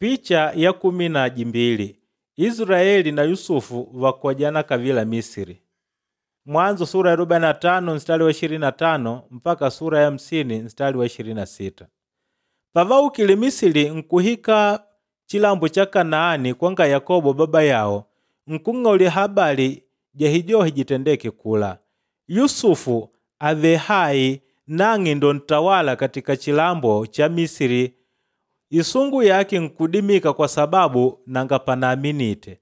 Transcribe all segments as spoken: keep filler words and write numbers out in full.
Picha ya kumi na jimbili Israeli na Yusufu vakojana kavila Misiri. Mwanzo sura ya arobaini na tano mstari wa ishirini na tano mpaka sura ya hamsini mstari wa ishirini na sita. Pavaukile Misiri nkuhika chilambo cha Kanaani kwanga Yakobo baba yawo nkung'aulila habari ja hijohi jitendeke kula. Yusufu ave hai nang'e ndo ntawala katika chilambo cha Misiri. Isungu yake nkudimika kwa sababu nanga panaaminite.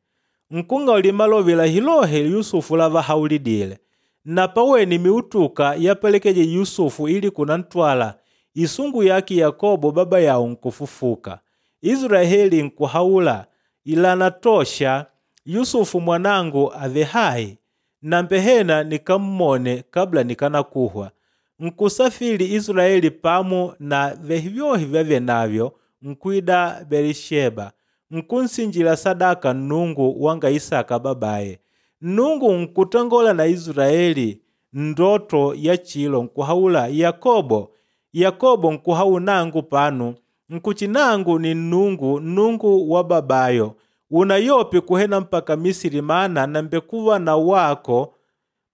Nkung'aulila malovela hilohe Yusufu lavahaulidile. Na paweni miutuka yapelekeje Yusufu ili kunantwala isungu yake Yakobo baba yawo nkufufuka. Israeli nkuhaula ilanatosha Yusufu mwanangu ave hai nambehena nikammone kabla nikanakuhwa. Nkusafiri Israeli pamu na vehivyohi vyavye navyo nkwida Berisheba nkunsinjila sadaka Nnungu wanga Isaka babaye. Nnungu nkutangola na Israeli ndoto ya chilo nkuhaula Yakobo, Yakobo nkuhau nangu panu nkuchi nangu ni Nnungu Nnungu wa babayo unayope kuhena mpaka Misiri maana nambekuwa na wako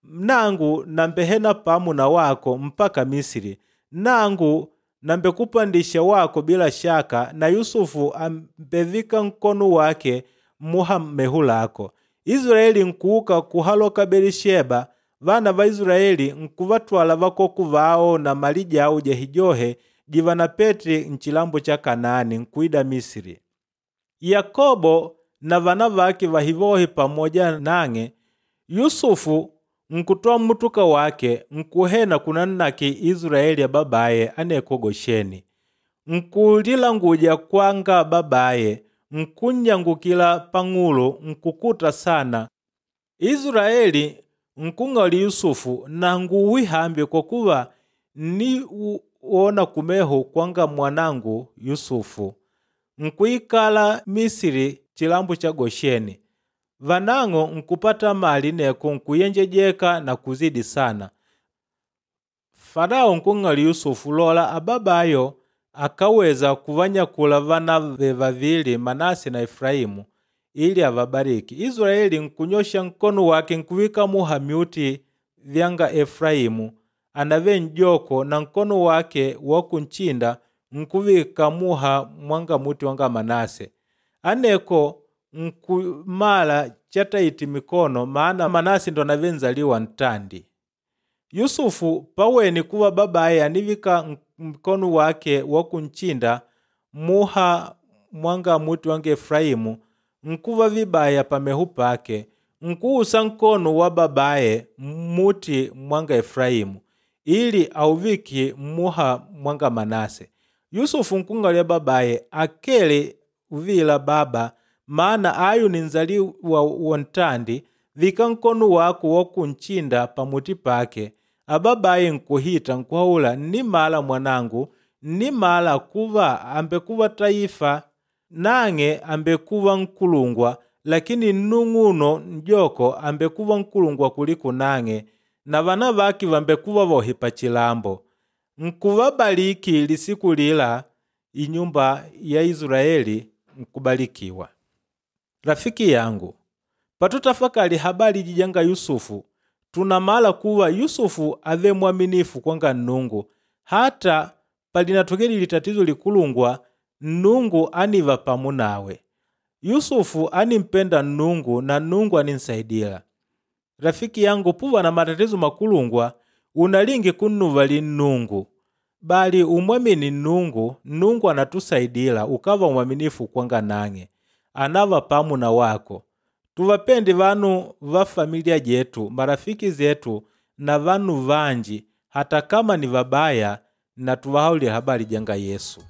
nangu nambehena pamu na wako mpaka Misiri nangu nambekupandisha wako bila shaka na Yusufu ambevika nkono wake muha mehu lako. Israeli nkuuka kuhaloka Berisheba vana va Israeli nkuvatwala vakoku vao na mali jawo jahijohe jivanapete nchilambo cha Kanaani nkuida Misiri. Yakobo na vana vake vahivohi pamoja nang'e Yusufu nkutwaa mutuka wake nkuhena kunannaki Israeli ya babaye aneko Gosheni. Nkulilanguja kwanga babaye nkunnyangukila pang'ulo nkukuta sana. Israeli nkung'auli Yusufu nanguwi hambi kwa kuva nniwona kumeho kwanga mwanangu Yusufu. Nkuikala Misiri chilambo cha Gosheni. Vanang'o nkupata mali neko nkuyenjejeka na kuzidi sana. Farao nkung'auli Yusufu lola ababayo akaweza kuvanyakula vana ve vavili Manase na Efraimu ili avabariki. Israeli nkunyosha nkono wake nkuvika muha myuti vyanga Efraimu anave njoko na nkono wake wa kunchinda nkuvika muha mwanga muti wanga Manase. Aneko nkumala chataiti mikono maana Manase ndo anave nzaliwa ntandi. Yusufu paweni kuva babaye anivika mkono wake wa kunchinda muha mwanga muti wange Efraimu nkuva vibaya pamehu pake nkuusa nkono wa babaye muti mwanga Efraimu ili auviki muha mwanga Manase. Yusufu nkung'aulila babaye akele uvila baba maana ayu ni nzaliwa wontandi vika nkono wako wa kunchinda pamuti pake. Ababaye nkuhita nkuhaula nnimala mwanangu nnimala kuva ambekuva taifa nang'e ambekuva nkulungwa lakini nnung'uno njoko ambekuva nkulungwa kuliko nang'e na vana vake vambekuva vohi pachilambo. Nkuvabaliki lisiku lila inyumba ya Israeli nkubalikiwa. Rafiki yangu, patutafakali habari jijanga Yusufu tunamala kuva Yusufu ave mwaminifu kwanga Nnungu hata palinatokeli litatizo likulungwa Nnungu aniva pamu nawe. Yusufu animpenda Nnungu na Nnungu aninsaidila. Rafiki yangu puva na matatizo makulungwa unalingi kunnuvali Nnungu bali umwamini Nnungu, Nnungu anatusaidila ukava mwaminifu kwanga nang'e anava pamu na wako. Tuvapende vanu va familia jetu, marafiki zetu na vanu vanji hata kama ni vabaya na tuvahaulile habari janga Yesu.